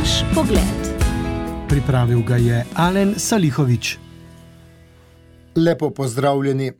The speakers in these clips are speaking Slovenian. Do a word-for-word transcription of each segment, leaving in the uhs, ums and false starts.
Naš pogled. Pripravil ga je Alen Salihovič. Lepo pozdravljeni.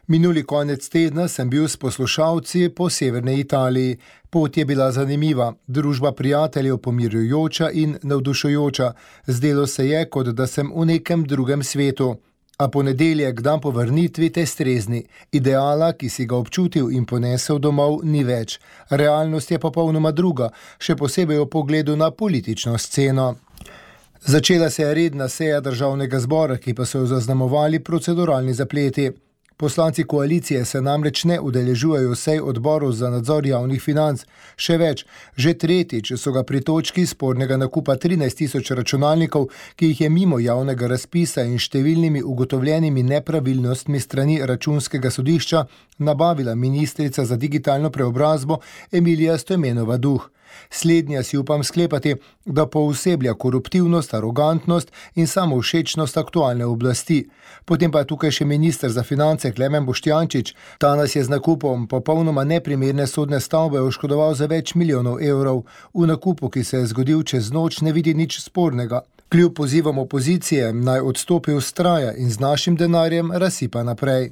Minuli konec tedna sem bil s poslušalci po severni Italiji. Pot je bila zanimiva, družba prijateljev pomirjujoča in navdušujoča. Zdelo se je, kot da sem v nekem drugem svetu. A ponedeljek, dan po vrnitvi, te strezni. Ideala, ki si ga občutil in ponesel domov, ni več. Realnost je popolnoma druga, še posebej v pogledu na politično sceno. Začela se je redna seja državnega zbora, ki pa so jo zaznamovali proceduralni zapleti. Poslanci koalicije se namreč ne udeležujejo sej odborov za nadzor javnih financ. Še več, že tretjič so ga pri točki spornega nakupa trinajst tisoč računalnikov, ki jih je mimo javnega razpisa in številnimi ugotovljenimi nepravilnostmi strani računskega sodišča nabavila ministrica za digitalno preobrazbo Emilija Stojmenova Duh. Slednja si upam sklepati, da pooseblja koruptivnost, arogantnost in samovšečnost aktualne oblasti. Potem pa je tukaj še minister za finance Klemen Boštjančič. Ta nas je z nakupom popolnoma neprimerne sodne stavbe oškodoval za več milijonov evrov. V nakupu, ki se je zgodil čez noč, ne vidi nič spornega. Kljub pozivom opozicije naj odstopi vztraja in z našim denarjem razsipa naprej.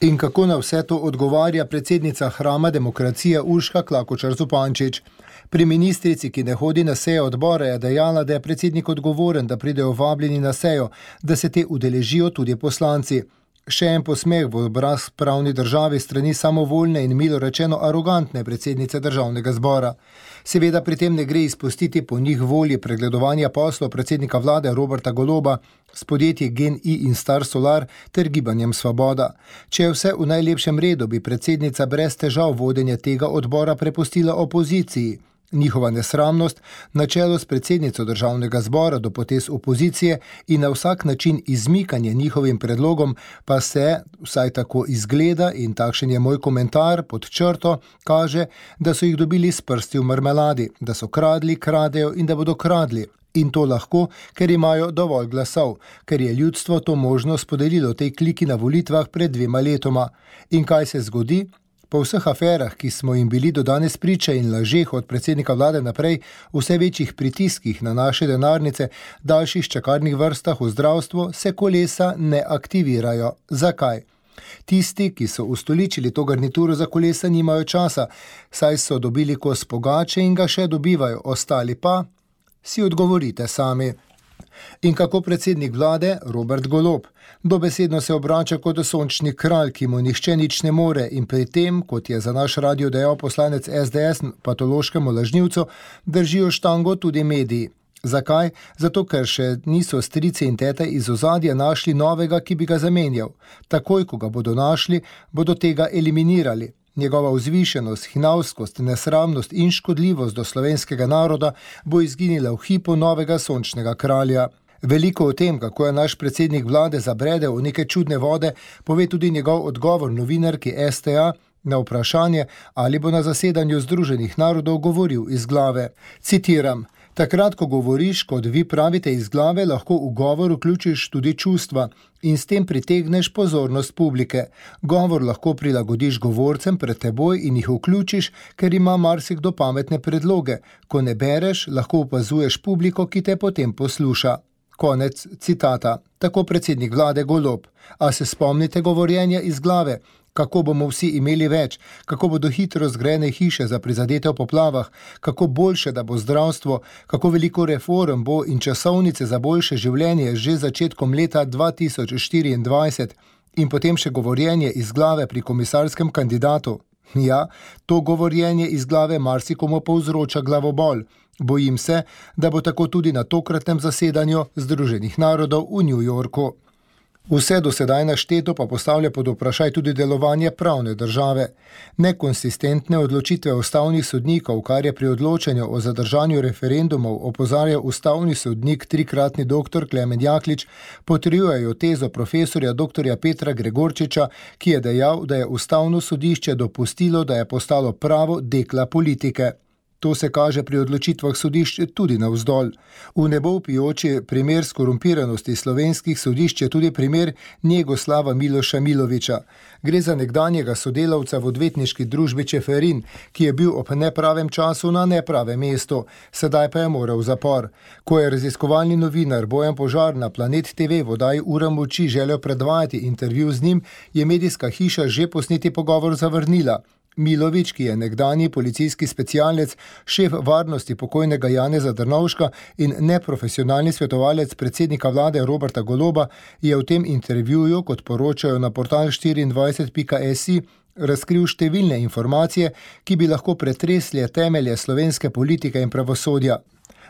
In kako na vse to odgovarja predsednica hrama demokracije Urška Klakočar Zupančič. Pri ministrici, ki ne hodi na sejo odbora, je dejala, da je predsednik odgovoren, da pridejo vabljeni na sejo, da se te udeležijo tudi poslanci. Še en posmeh v obraz pravni državi strani samovoljne in milo rečeno arogantne predsednice državnega zbora. Seveda pri tem ne gre izpustiti po njih volji pregledovanja poslov predsednika vlade Roberta Goloba s podjetji GEN-I in Star Solar ter gibanjem Svoboda. Če je vse v najlepšem redu, bi predsednica brez težav vodenje tega odbora prepustila opoziciji. Njihova nesramnost, na čelu s predsednico državnega zbora do potez opozicije in na vsak način izmikanje njihovim predlogom pa se, vsaj tako izgleda in takšen je moj komentar pod črto, kaže, da so jih dobili s prsti v marmeladi, da so kradli, kradejo in da bodo kradli. In to lahko, ker imajo dovolj glasov, ker je ljudstvo to možnost podelilo tej kliki na volitvah pred dvema letoma. In kaj se zgodi? Po vseh aferah, ki smo jim bili do danes priča in lažeh od predsednika vlade naprej, vse večjih pritiskih na naše denarnice, daljših čakarnih vrstah v zdravstvu, se kolesa ne aktivirajo. Zakaj? Tisti, ki so ustoličili to garnituro za kolesa, nimajo časa, saj so dobili kos pogače in ga še dobivajo, ostali pa si odgovorite sami. In kako predsednik vlade Robert Golob? Dobesedno se obrača kot sončni kralj, ki mu nihče nič ne more in pri tem, kot je za naš radio dejal poslanec es de es patološkemu lažnivcu, držijo štango tudi mediji. Zakaj? Zato, ker še niso strici in tete iz ozadja našli novega, ki bi ga zamenjal. Takoj, ko ga bodo našli, bodo tega eliminirali. Njegova vzvišenost, hinavskost, nesramnost in škodljivost do slovenskega naroda bo izginila v hipu novega sončnega kralja. Veliko o tem, kako je naš predsednik vlade zabredel v neke čudne vode, pove tudi njegov odgovor novinarki es te a na vprašanje, ali bo na zasedanju Združenih narodov govoril iz glave. Citiram: takrat, ko govoriš, kot vi pravite, iz glave, lahko v govor vključiš tudi čustva in s tem pritegneš pozornost publike. Govor lahko prilagodiš govorcem pred teboj in jih vključiš, ker ima marsikdo pametne predloge. Ko ne bereš, lahko opazuješ publiko, ki te potem posluša. Konec citata. Tako predsednik vlade Golob. A se spomnite govorjenja iz glave? Kako bomo vsi imeli več, kako bodo hitro zgrajene hiše za prizadete v poplavah, kako boljše, da bo zdravstvo, kako veliko reform bo in časovnice za boljše življenje že začetkom leta dva tisoč štiriindvajset in potem še govorjenje iz glave pri komisarskem kandidatu. Ja, to govorjenje iz glave marsikomu povzroča glavobol. Bojim se, da bo tako tudi na tokratnem zasedanju Združenih narodov v New Yorku. Vse do sedaj našteto pa postavlja pod vprašaj tudi delovanje pravne države. Nekonsistentne odločitve ustavnih sodnikov, kar je pri odločanju o zadržanju referendumov opozarjal ustavni sodnik trikratni doktor Klemen Jaklič, potrjujejo tezo profesorja doktorja Petra Gregorčiča, ki je dejal, da je ustavno sodišče dopustilo, da je postalo pravo dekla politike. To se kaže pri odločitvah sodišč tudi navzdol. V nebo vpijoči primer skorumpiranosti slovenskih sodišč je tudi primer Njegoslava Miloša Miloviča. Gre za nekdanjega sodelavca v odvetniški družbi Čeferin, ki je bil ob nepravem času na nepravem mestu, sedaj pa je moral v zapor. Ko je raziskovalni novinar Bojan Požar na Planet te ve v oddaji Ura moči želel predvajati intervju z njim, je medijska hiša že posneti pogovor zavrnila. Milovič, ki je nekdanji policijski specialec, šef varnosti pokojnega Janeza Drnovška in neprofesionalni svetovalec predsednika vlade Roberta Goloba, je v tem intervjuju, kot poročajo na portal štiriindvajset pika si, razkril številne informacije, ki bi lahko pretresle temelje slovenske politike in pravosodja.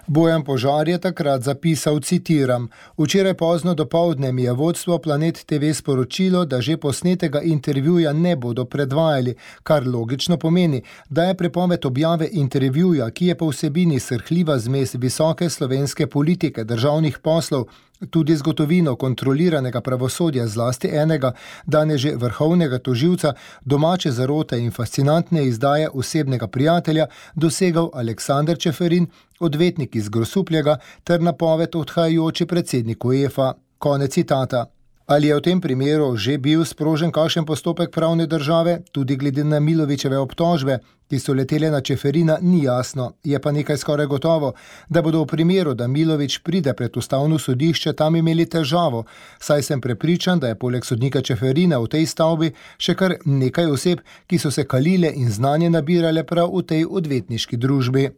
Bojan Požar je takrat zapisal, citiram: "Včeraj pozno dopoldne mi je vodstvo Planet te ve sporočilo, da že posnetega intervjuja ne bodo predvajali, kar logično pomeni, da je prepoved objave intervjuja, ki je po vsebini srhljiva zmes visoke slovenske politike, državnih poslov, tudi zgodovino kontroliranega pravosodja, zlasti enega, danes že vrhovnega tožilca, domače zarote in fascinantne izdaje osebnega prijatelja, dosegal Aleksander Čeferin, odvetnik iz Grosuplja ter napoved odhajajoči predsednik UEFA." Konec citata. Ali je v tem primeru že bil sprožen kakšen postopek pravne države, tudi glede na Milovičeve obtožbe, ki so letele na Čeferina, ni jasno. Je pa nekaj skoraj gotovo, da bodo v primeru, da Milovič pride pred ustavno sodišče, tam imeli težavo, saj sem prepričan, da je poleg sodnika Čeferina v tej stavbi še kar nekaj oseb, ki so se kalile in znanje nabirale prav v tej odvetniški družbi.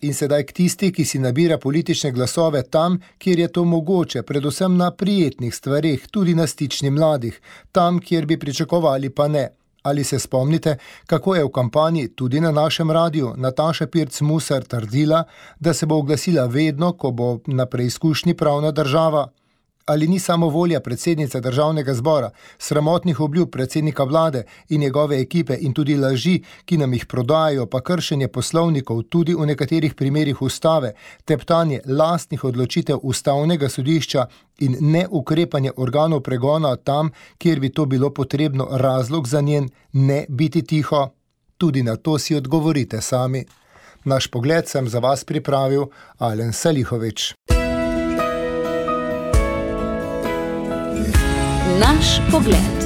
In sedaj k tisti, ki si nabira politične glasove tam, kjer je to mogoče, predvsem na prijetnih stvareh, tudi na stični mladih, tam, kjer bi pričakovali, pa ne. Ali se spomnite, kako je v kampanji tudi na našem radiju Nataša Pirc Musar trdila, da se bo oglasila vedno, ko bo na preizkušnji pravna država? Ali ni samo volja predsednice državnega zbora, sramotnih obljub predsednika vlade in njegove ekipe in tudi laži, ki nam jih prodajajo, pa kršenje poslovnikov tudi v nekaterih primerih ustave, teptanje lastnih odločitev ustavnega sodišča in neukrepanje organov pregona tam, kjer bi to bilo potrebno, razlog za njen ne biti tiho? Tudi na to si odgovorite sami. Naš pogled sem za vas pripravil Alen Salihovič. Naš pogled.